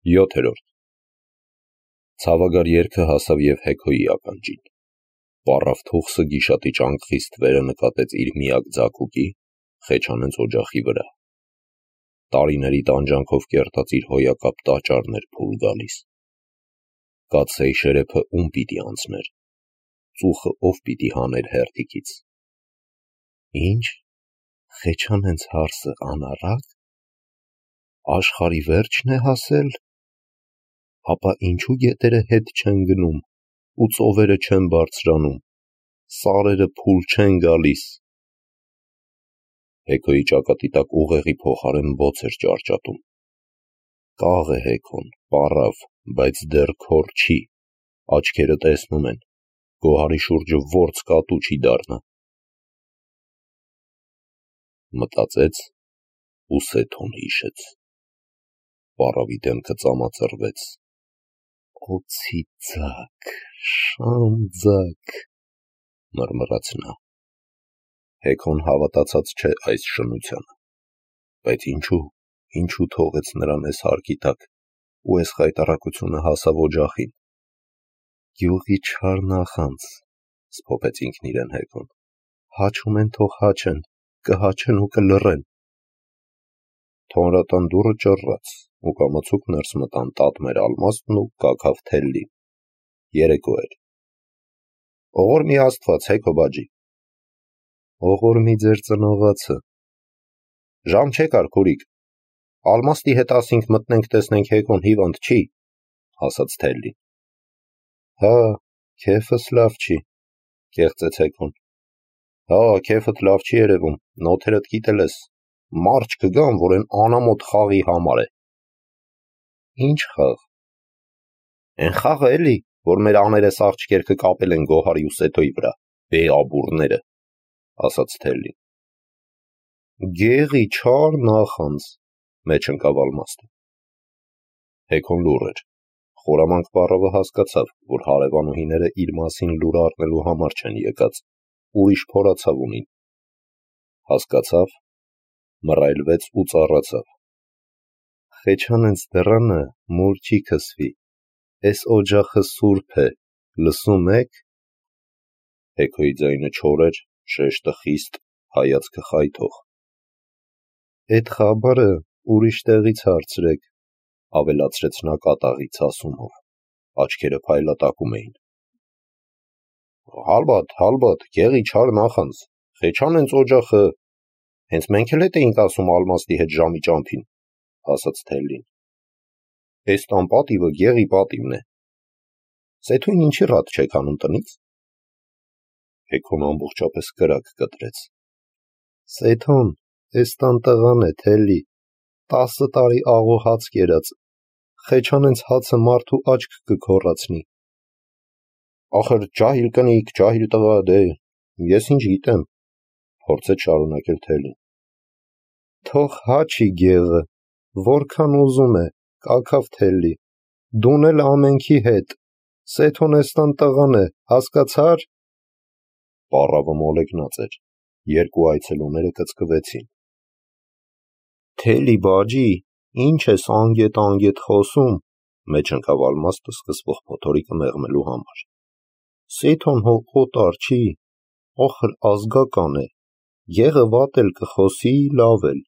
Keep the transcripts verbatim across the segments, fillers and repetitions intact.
յոթերորդ. Ցավագար երգը հասավ և Հեքոյի ականջին. պառավ թուխսը գիշատի ճանկխից թվերը նկատեց իր միակ ձագուկի, խեչանենց օջախի վրա: Տարիների տանջանքով կերտած իր հոյակապ տաճարն էր փուլ գալիս: Կացսեի շերեփը ում պիտի անցներ, ծուխը ով պիտի հաներ հերթիկից: Ի՞նչ, խեչանենց հարսը անառակ, աշխարհի վերջն է հասել: Ապա ինչու գետերը հետ չեն գնում ու ծովերը չեն բարձրանում, սարերը փուլ չեն գալիս: Հեքոյի ճակատի տակ ուղեղի փոխարեն բոց էր ճարճատում: Կաղ է Հեքոն, պառավ, բայց դեռ քոր չի, աչքերը տեսնում են, գոհարի շուրջը որց կատու չի դառնա: Մտածեց ու Սեթոն հիշեց: Պառավի դեմքը ծամածռվեց: օձի ձագ, շան ձագ, մռմռաց նա: Հեքոն հավատացած չէ այս շնությանը: Բայց ինչու, ինչու թողեց նրան էս հարկի տակ ու էս խայտառակությունը հասավ օջախին: Գյուղի չար նախանձ, սփոփեց ինքն իրեն Հեքոն, հաչում են թող հաչեն, կհաչեն ու կլռեն: Թոնրատան դուռը ճռռաց ու կամացուկ ներս մտան Տատմեր Ալմաստն ու Կաքավ Թելլին: Երեկո էր: Ողորմի Աստված, Հեքո բաջի: Ողորմի ձեր ծնողացը: Ժամ չեկար քուրիկ, Ալմաստի հետ ասինք մտնենք տեսնենք Հեքոն հիվանդ չի: Ասաց Թելլին: Հա, քեֆս լավ չի, կեղծեց Հեքոն: Հա, քեֆդ լավ չի երևում, նոթերդ կիտել ես, մարդ կգան, որ էն անամոթ խաղի համար է: Ի՞նչ խաղ: Էն խաղը էլի, որ մեր աներես աղջիկեր կկապել են Գոհարի ու Սեթոյի վրա, բեաբուրները: Ասաց Թելլին: Գեղի չար նախանձ, մեջ ընկավ Ալմաստը: Հեքոն լուռ էր: Խորամանկ պառավը հասկացավ, որ հարևանուհիները իր մասին լուր առնելու համար չեն եկած, ուրիշ փորացավ ունին: Հասկացավ, մռայլվեց ու ծառացավ: Խեչանենց դռանը մուր չի քսվի, էս օջախը սուրբ է, լսում եք: Հեքոյի ձայնը չոր էր, շեշտը խիստ, հայացքը խայթող: Էդ խաբարը ուրիշ տեղից հարցրեք, ավելացրեց նա կատաղի ցասումով: Աչքերը փայլատակում էին: Հալբատ, հալբատ, գեղի չար նախանձ, խեչանենց օջախը, հենց մենք էլ էտ էինք ասում Ալմաստի հետ ժամի ճամփին: Ասաց Թելլին: Էս տան պատիվը գեղի պատիվն է: Սեթոյին ինչի ռատ չեք հանում տնից: Հեքոն ամբողջապես կրակ կտրեց: Սեթոն էս տան տղան է, Թելլի, տասը տարի աղո հաց կերած, խեչանենց հացը մարդու աչք կքոռացնի: Ախր ջահիլ կնիկ, ջահիլ տղա, դե, ես ինչ գիտեմ: Փորձեց շարունակել Թելլին: Թող հաչի գեղը, որքան ուզում է, Կաքավ Թելլի, դուն էլ ամենքի հետ, Սեթոն էս տան տղան է, հասկացա՞ր: Պառավը մոլեգնած էր, երկու այցելուները կծկվեցին: Թելլի բաջի, ինչ ես անգետ-անգետ խոսում, մեջ ընկավ Ալմաստը սկսվող փոթորիկը մեղմելու համար: Սեթոն հո օտար չի, ախր ազգական է, գեղը վատ էլ կխոսի, լավ էլ,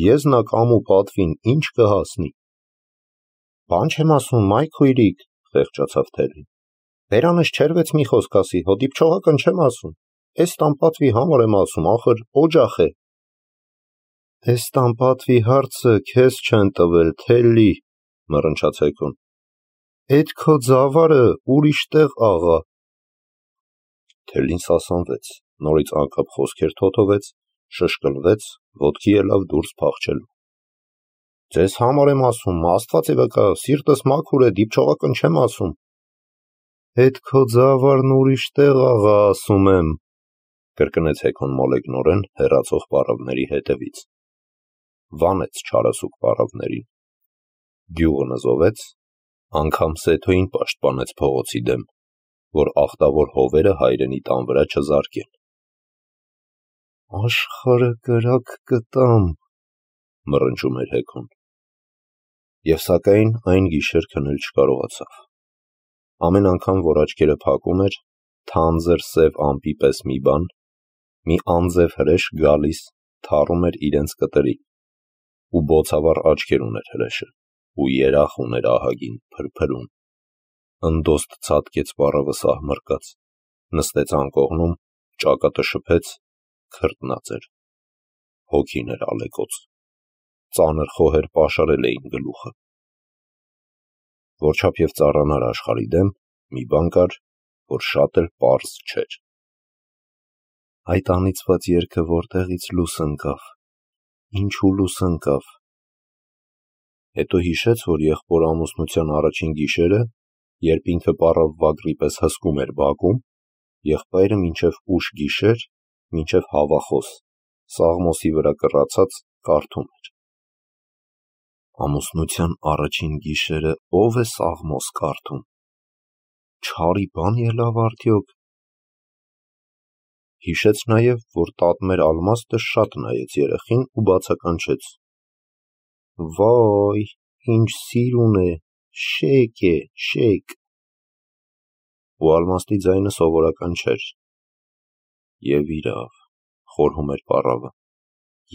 եզնակ ամու պատվին ինչ կհասնի: Բան չեմ ասում, մայ քույրիկ, խեղճացավ Թելլին, բերանս չերվեց մի խոսք ասի, հո դիպչողական չեմ ասում, էս տան պատվի համար եմ ասում, ախր օջախ է: Էս տան պատվի հարցը քեզ չեն տվել, Թելլի, մռնչաց Հեքոն: Էդ քո ձավարը ուրիշ տեղ աղա: Թելլին սասանվեց, նորից անկապ խոսքեր թոթվեց, շշկլվեց, ոտքի ելավ դուրս փախչելու: Ձեզ համար եմ ասում, Աստված է վկա, սիրտս մաքուր է, դիպչողական չեմ ասում: Էդ քո ձավարն ուրիշ տեղ աղա, ասում եմ, կրկնեց Հեքոն մոլեգնորեն, հեռացող պառավների հետևից: Վանեց չարասուք պառավներին: Գյուղը նզովեց, անգամ Սեթոյին պաշտպանեց փողոցի դեմ, որ ախտավոր հովերը հայրենի տան վրա չզարկեն: Աշխարհը կրակ կտամ, մռնչում էր Հեքոն: Եվ սակայն այն գիշեր քնել չկարողացավ։ Ամեն անգամ, որ աչքերը փակում էր, թանձր սև ամպի պես մի բան, մի անձև հրեշ գալիս, թառում էր իրենց կտրին, ու բոցավառ աչքեր ուներ հրեշը, ու երախ ուներ ահագին, փրփրուն, ընդոստ ցատկեց պառավը սահմռկած, նստեց անկողնում, ճակատը շփեց, քրտնած էր, հոգին էր ալեկոծ, ծանր խոհեր պաշարել էին գլուխը։ Որչափ և ծառանար աշխարհի դեմ, մի բան կար, որ շատ էլ պարզ չէր։ Այդ անիծված երգը որտեղից լույս ընկավ, ինչու լույս ընկավ։ Հետո հիշեց, որ եղբոր ամուսնության առաջին գիշերը, երբ ինքը պառավ Վագրի պես հսկում էր բակում, եղբայրը մինչև ուշ գիշեր, մինչև հավախոս, Սաղմոսի վրա կռացած կարդում էր։ Ամուսնության առաջին գիշերը ո՞վ է Սաղմոս կարդում, չարի բան ելավ արդյոք։ Հիշեց նաև, որ տատմեր Ալմաստը շատ նայեց երեխին ու բացականչեց. Վայ, ինչ սիրուն է, շեկ է, շեկ։ Ու Ալմաստի ձայնը սովորական չէր։ Եվ իրավ, խորհում էր պառավը,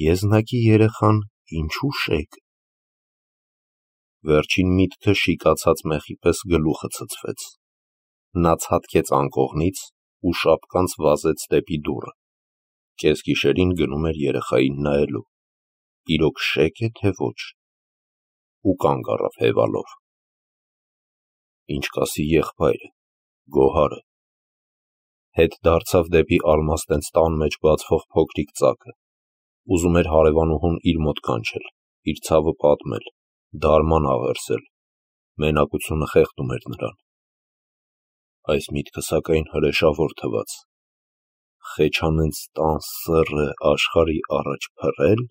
եզնակի երեխան ինչու շեկ։ Վերջին միտքը շիկացած մեխի պես գլուխը ցցվեց։ Նա ցատկեց անկողնից ու շապկանց վազեց դեպի դուռը։ Կեսգիշերին գնում էր երեխային նայելու, իրոք շե՞կ է, թե ոչ, ու կանգ առավ հևալով։ Ինչ կասի եղբայրը, Գոհարը։ Հետ դարձավ դեպի Ալմաստենց տան մեջ բացվող փոքրիկ ծակը, ուզում էր հարևանուհուն իր մոտ կանչել, իր ցավը պատմել, դարման աղերսել, մենակությունը խեղդում էր նրան։ Այս միտքը սակայն հրեշավոր թվաց։ Խեչանենց տան սըռը աշխարհի առաջ փռել,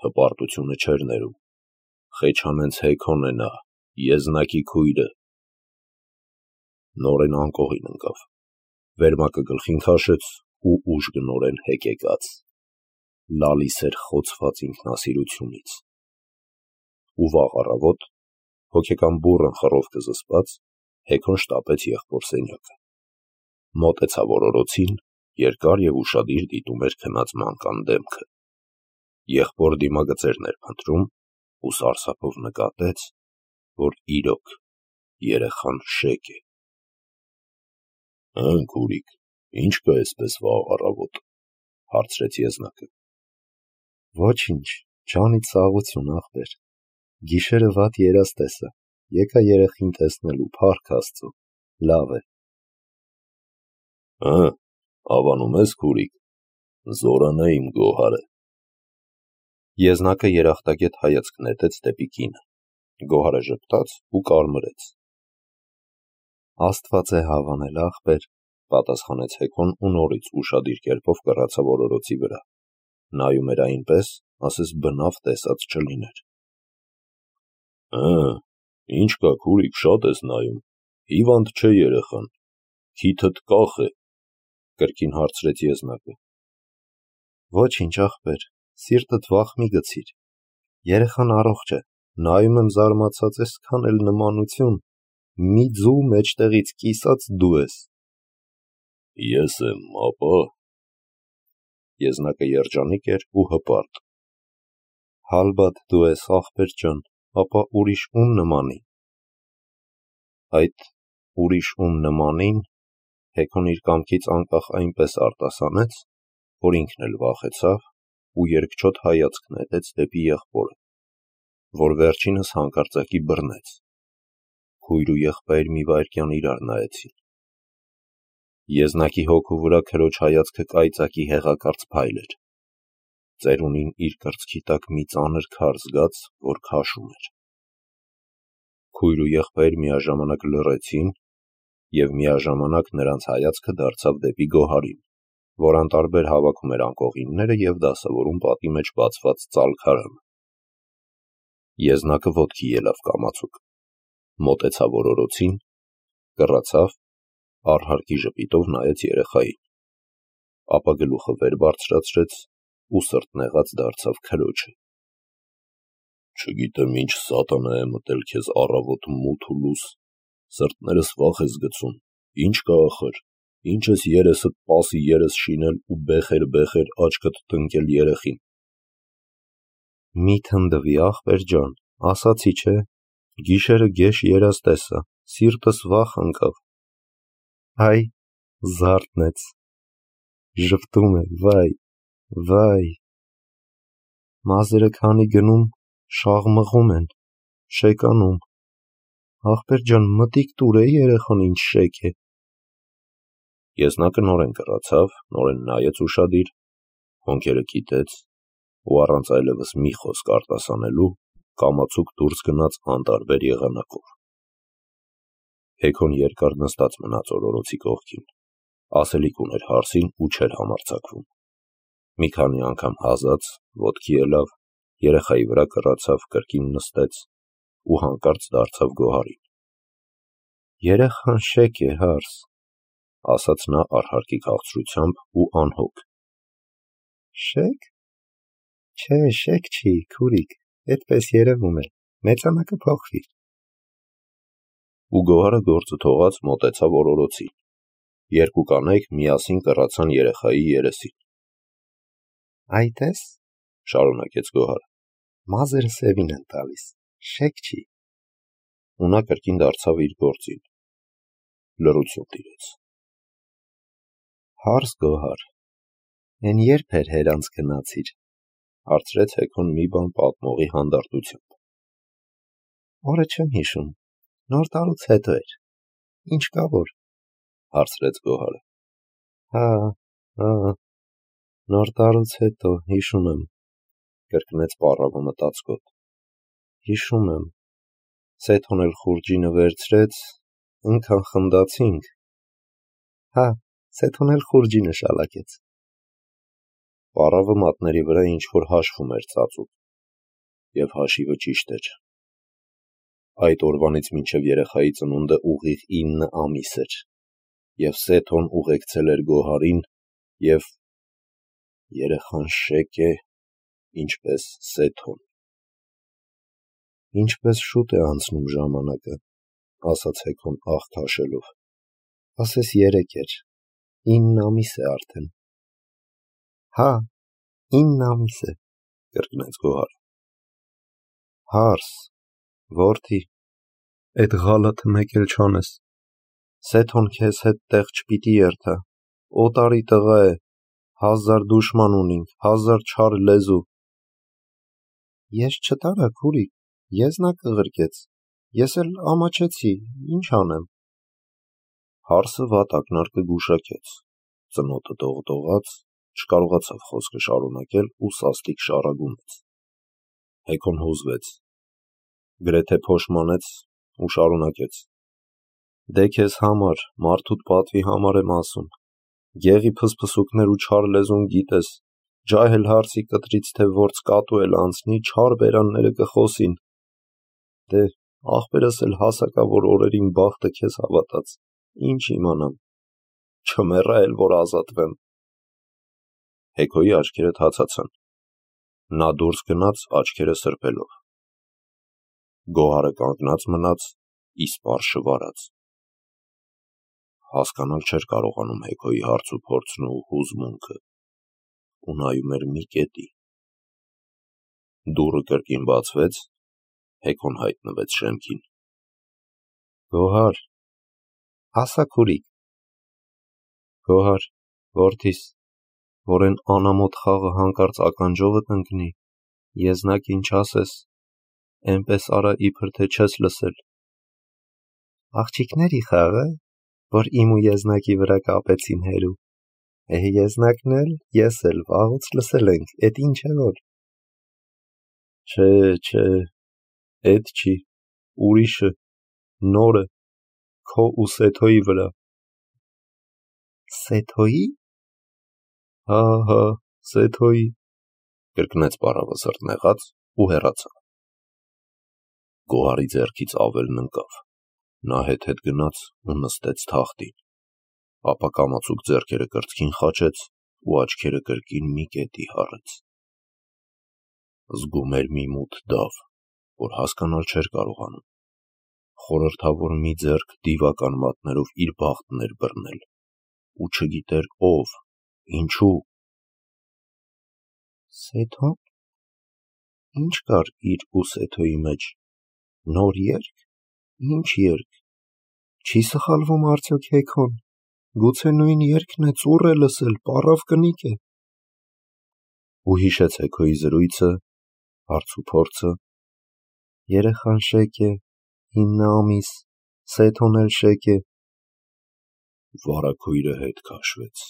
հպարտությունը չէր ներում, Խեչանենց Հեքոն է նա, եզնակի քույրը։ Նորեն անկողին ընկավ, վերմակը գլխին քաշեց ու ուժգնորեն հեկեկաց, լալիս էր խոցված ինքնասիրությունից։ Ու վաղ առավոտ, հոգեկան բուռն խռովքը զսպած, Հեքոն շտապեց եղբոր սենյակը, մոտեցավ օրորոցին, երկար և ուշադիր դիտում էր քնած մանկան դեմքը, եղբոր դիմագծերն էր փնտրում ու սարսափով նկատեց, որ իրոք երեխան շեկ է։ Հըն քուրիկ, ի՞նչ կա էսպես վաղ առավոտ, հարցրեց եզնակը։ Ոչինչ, ջանից սաղություն, ախպեր, գիշերը վատ երազ տեսա, եկա երեխին տեսնելու, փառք Աստծո, լավ է։ Հը, հավանում ես քուրիկ, զորան է իմ Գոհարը։ Եզնակը երախտագետ հայացք նետեց դեպի կինը, Գոհարը ժպտաց ու կարմրեց։ Աստված է հավանել, ախպեր, պատասխանեց Հեքոն ու նորից ուշադիր կերպով կռացավ օրորոցի վրա, նայում էր այնպես, ասես բնավ տեսած չլիներ։ Հը, ինչ կա քուրիկ, շատ ես նայում, հիվանդ չէ երեխան, քիթդ կախ է, կրկին հարցրեց եզնակը։ Ոչինչ ախպեր, սիրտդ վախ մի գցիր, երեխան առողջ է, նայում եմ զարմացած այսքան էլ նմանություն, մի ձու մեջտեղից կիսած դու ես։ Ես եմ, ապա։ Եզնակը երջանիկ էր ու հպարտ։ Հալբատ դու ես, ախպեր ջան, ապա ուրիշ ում նմանի։ Այդ ուրիշ ում նմանին Հեքոն իր կամքից անկախ այնպես արտասանեց, որ ինքն էլ վախեցավ ու երկչոտ հայացք նետեց դեպի եղբորը, որ վերջինս հանկարծակի բռնեց։ Քույր ու եղբայր մի վայրկյան իրար նայեցին։ Եզնակի հոգու վրա քրոջ հայացքը կայծակի հեղակարծ փայլ էր։ Ծերունին իր կրծքի տակ մի ծանր քար զգաց, որ քաշում էր։ Քույր ու եղբայր միաժամանակ լռեցին, և միաժամանակ նրանց հայացքը դարձավ դեպի Գոհարին, որ անտարբեր հավաքում էր անկողինները և դասավորում պատի մեջ բացված ծալքարանը։ Եզնակը ոտքի ելավ կամացուկ, մոտեցավ օրորոցին, կռացավ, արհարկի ժպիտով նայեց երեխային, ապա գլուխը վեր բարձրացրեց ու սրտնեղած դարձավ քրոջը։ Չգիտեմ ինչ սատանա է մտել քեզ առավոտ մութ ու լուս, սրտներս վախ ես գցում, ինչ կա ախր, ինչ ես երեսդ պասի երես շինել ու բեխեր-բեխեր աչքդ տնկել երեխին։ Մի թնդվի ախպեր ջան, ասացի չէ, գիշերը գեշ երաս տեսա, սիրտս վախ ընկավ։ Այ, զարթնեց, ժպտում է, վայ, վայ։ Մազերը քանի գնում, շաղմղում են, շեկանում։ Ախպեր ջան, մտիկ տուր է երեխան ինչ շեկ է։ Եզնակը նորեն կռացավ, նորեն նայեց ուշադիր, հոնքերը կիտեց ու առանց այլևս մի խոսք արտասանելու կամացուկ դուրս գնաց անտարբեր եղանակով։ Հեքոն երկար նստած մնաց օրորոցի կողքին, ասելիք ուներ հարսին ու չէր համարձակվում։ Մի քանի անգամ հազաց, ոտքի ելավ, երեխայի վրա կռացավ, կրկին նստեց ու հանկարծ դարձավ Գոհարին։ Երեխան շեկ է, հարս, ասաց նա արհարկի քաղցրությամբ ու անհոգ։ Շե՞կ։ Չէ, շեկ չի, քուրիկ, այդպես երևում է, մեծանա կփոխվի։ Ու Գոհարը գործը թողած մոտեցավ օրորոցին։ Երկու կանայք միասին կռացան երեխայի երեսին։ Այ տես, շարունակեց Գոհարը, մազերը սևին են տալիս, շեկ չի։ Ու նա կրկին դարձավ իր գործին։ Լռություն տիրեց։ Հարս Գոհար, են երբ էր հերանց գնացիր, հարցրեց Հեքոն մի բան պատմողի հանդարտությամբ։ Օրը չեմ հիշում, նոր տարուց հետո էր, ինչ կա որ, հարցրեց Գոհարը։ Հա, հա, նոր տարուց հետո, հիշում եմ, կրկնեց պառավը մտածկոտ։ Հիշում եմ, Սեթոն էլ խուրջինը վերցրեց, ընքան խնդացինք։ Հա, Սեթոն էլ խուրջինը շալակեց։ Պառավը մատների վրա ինչ-որ հաշվում էր ծածուկ, և հաշիվը ճիշտ էր։ Այդ օրվանից մինչև երեխայի ծնունդը ուղիղ ինը ամիս էր, և Սեթոն ուղեկցել էր Գոհարին, և երեխան շեկ է, ինչպես Սեթոն։ Ինչպես շուտ է անցնում ժամանակը, ասաց Հեքոն աղ քաշելով, ասես երեկ էր, ինն ամիս է արդեն։ Հա, ինն ամիս է, կրկնեց Գոհարը։ Հարս, որդի, էդ ղալաթը մեկ էլ չանես, Սեթոն քեզ հետ տեղ չպիտի երթա, օտարի տղա է, հազար դուշման ունինք, հազար չար լեզու։ Ես չտարա, քուրիկ, եզնակ կղրկեց, ես էլ ամաչեցի, ինչ անեմ։ Հարսը վատ ակնարկը գուշակեց, ծնոտը դողդողաց, չկարողացավ խոսքը շարունակել ու սաստիկ շառագումեց։ Հեքոն հուզվեց, գրեթե փոշմանեց ու շարունակեց. Դե քեզ համար, մարդուտ պատվի համար եմ ասում, գեղի փսփսուկներ ու չար լեզուն գիտես, ջահել հարսի կտրից թե որց կատու էլ անցնի, չար բերանները կխոսին։ Դե, ախպերս էլ հասակավոր օրերին բախտը քեզ հավատաց, ինչ իմանամ, չմեռա էլ որ ազատվեմ։ Հեքոյի աչքերը թացացան, նա դուրս գնաց աչքերը սրբելով։ Գոհարը կանգնած մնաց, իսպառ շվարած։ Հասկանալ չէր կարողանում Հեքոյի հարց ու փորձն ու հուզմունքը, ու նայում էր մի կետի։ Դուռը կրկին բացվեց, Հեքոն հայտնվեց շեմքին։ Գոհար, ասա քուրիկ։ Գոհար, որդիս, որ են անամոթ խաղը հանկարծ ականջովդ ընկնի, եզնակ ինչ ասես, էնպես արա իբր թե չես լսել։ Աղջիկների խաղը, որ իմ ու եզնակի վրա կապեցին հերու, է եզնակն էլ, ես էլ վաղուց լսել ենք, էդ ինչ է որ։ Չէ, չէ, էդ չի, ուրիշը, նորը, քո ու Սեթոյի վրա։ Սեթոյի։ Հա, հա, Սեթոյի, կրկնեց պառավը սրտնեղած ու հեռացավ։ Գոհարի ձեռքից ավելն ընկավ, նա հետ-հետ գնաց ու նստեց թախտին, ապա կամացուկ ձեռքերը կրծքին խաչեց ու աչքերը կրկին մի կետի հառեց։ Զգում էր մի մութ դավ, որ հասկանալ չէր կարողանում։ Խորհրդավոր մի ձեռք դիվական մատներով իր բախտն էր բռնել, ու չգիտեր ով, ինչու։ Սեթո՞ն։ Ինչ կար իր ու Սեթոյի մեջ։ Նոր երգ։ Ինչ երգ։ Չի սխալվում արդյոք Հեքոն։ Գուցե նույն երգն է ծուռ է լսել, պառավ կնիկ է։ Ու հիշեց Հեքոյի զրույցը, հարցուփորձը։ Երեխան շեկ է, ինը ամիս, Սեթոն էլ շեկ է։ Վարագույրը հետ քաշվեց,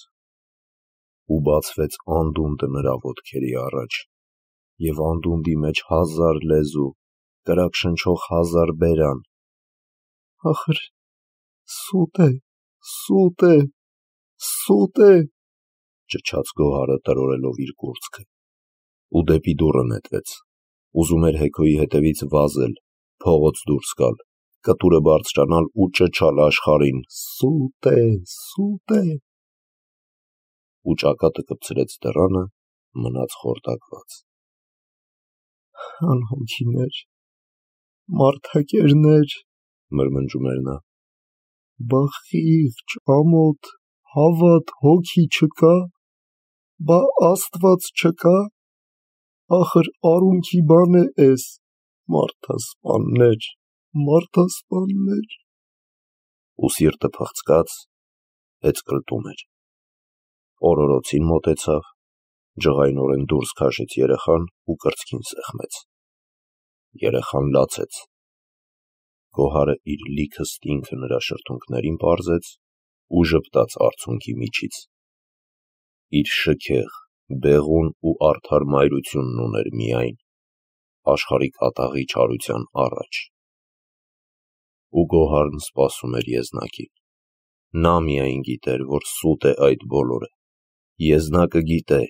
ու բացվեց անդունդը նրա ոտքերի առաջ, և անդունդի մեջ հազար լեզու, կրակ շնչող հազար բերան։ Ախր սուտ է, սուտ է, սուտ է, ճչաց Գոհարը տրորելով իր կուրծքը, ու դեպի դուռը նետվեց, ուզում էր Հեքոյի հետևից վազել, փողոց դուրս գալ, կտուրը բարձրանալ ու ճչալ աշխարհին. «Սուտ է, սուտ է», ու ճակատը կպցրեց դռանը, մնաց խորտակված։ Անհոգիներ, մարդակերներ, մրմնջում էր նա, բա խիղճ, ամոթ, հավատ, հոգի չկա, բա Աստված չկա, ախր արունքի բան է էս, մարդասպաններ, մարդասպաններ։ Ու սիրտը փղծկաց, հեծկլտում էր։ Օրորոցին մոտեցավ, ջղայնորեն դուրս քաշեց երեխան ու կրծքին սեղմեց։ Երեխան լացեց։ Գոհարը իր լիքը ստինքը նրա շրթունքներին պարզեց ու ժպտաց արցունքի միջից։ Իր շքեղ, բեղուն ու արդար մայրությունն ուներ միայն, աշխարհի կատաղի չարության առաջ։ Ու Գոհարն սպասում էր եզնակին։ Նա միայն գիտեր, որ սուտ է այդ բոլորը։ Եզնակը գիտե,